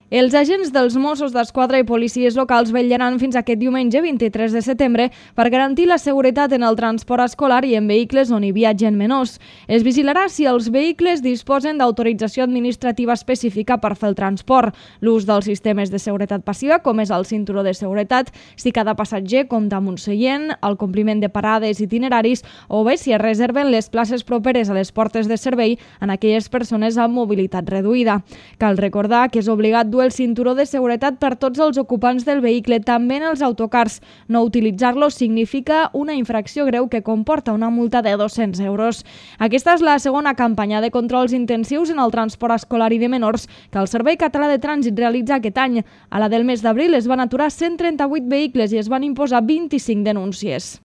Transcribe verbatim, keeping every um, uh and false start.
Els agents dels Mossos d'Esquadra i policies locals vetllaran fins aquest diumenge vint-i-tres de setembre per garantir la seguretat en el transport escolar i en vehicles on hi viatgen menors. Es vigilarà si els vehicles disposen d'autorització administrativa específica per fer el transport, l'ús dels sistemes de seguretat passiva, com és el cinturó de seguretat, si cada passatger compta amb un seient, el compliment de parades i itineraris o bé si es reserven les places properes a les portes de servei en aquelles persones amb mobilitat reduïda. Cal recordar que és obligat dur el cinturó de seguretat per tots els ocupants del vehicle, també en els autocars. No utilitzar-lo significa una infracció greu que comporta una multa de dos-cents euros. Aquesta és la segona campanya de controls intensius en el transport escolar i de menors que el Servei Català de Trànsit realitza aquest any. A la del mes d'abril es van aturar cent trenta-vuit vehicles i es van imposar vint-i-cinc denúncies.